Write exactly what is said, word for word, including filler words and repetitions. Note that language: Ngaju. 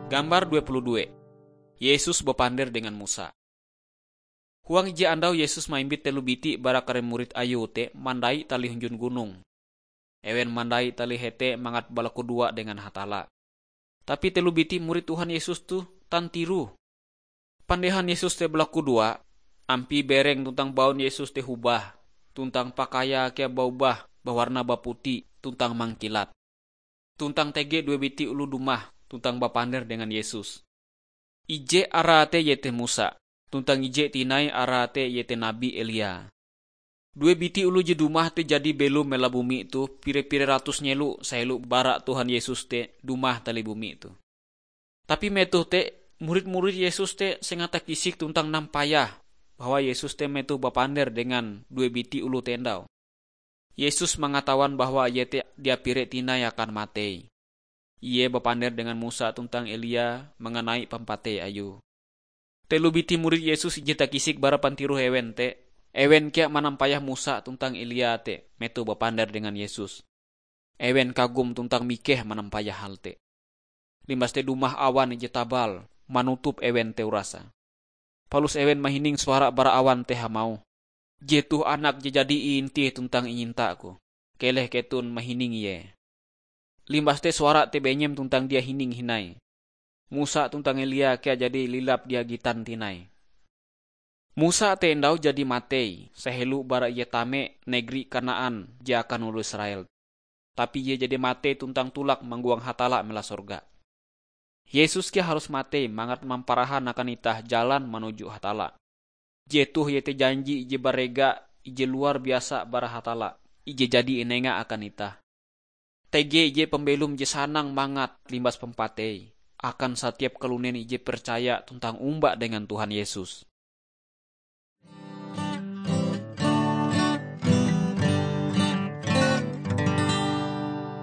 Gambar dua puluh dua. Yesus bapander dengan Musa. Huang ije andau Yesus maimbit telo biti bara kare murid Ayue te mandai tali hunjun gunong. Ewen mandai tali hete mangat balakudoa dengan Hatalla. Tapi telo biti murid Tuhan Yesus toh tantiroh. Pandehan Yesus te balakudoa, ampie bereng tuntang baun Yesus te hobah, tuntang pakaiae kea baobah bawarna baputi tuntang mangkilat. Tuntang tege due biti oloh dumah tuntang bapander dengan Yesus. Ije arae te iete Musa, tuntang ije tinai arae te iete Nabi Elia. Due biti oloh je dumah te jadi belom melawa bumi toh pire-pire ratus nyelo sahelo bara Tuhan Yesus te dumah tali bumi toh. Tapi metoh te, murid-murid Yesus te sengata kisik tuntang nampayah bahwa Yesus te metoh bapander dengan due biti oloh te andau. Yesus mangatawan bahwa Ie te dia pire tinai akan matei. Ie bapander dengan Musa tuntang Elia manganai pampatei Ayue. Telo biti murid Yesus ije takisik bara pantiroh ewen te, ewen kea manampayah Musa tuntang Elia te metoh bapander dengan Yesus. Ewen kagum tuntang mikeh manampayah hal te. Limbas te dumah awan ije tabal manutup ewen te urase. Palus ewen mahining suara bara awan te hamauh, "Jetoh Anak je jadi iintih tuntang inyinta-Ku. Keleh keton mahining Ie." Limbas te suara te benyem tuntang dia hining hindai. Musa tuntang Elia kea jadi lilap dia gitan tinai. Musa te andau jadi matei sahelo bara ie tame negeri Kanaan je akan oloh Israel. Tapi ie jadi matei tuntang tolak manggoang Hatalla melawa sorga. Yesus kea harus matei mangat mamparahan akan itah jalan manuju Hatalla. Jetoh iete janji ije barega, ije luar biasa bara Hatalla, ije jadi inenga akan itah. Tege ije pambelom je sanang mangat limbas pampatei akan satiap kalunen ije percaya tuntang omba dengan Tuhan Yesus.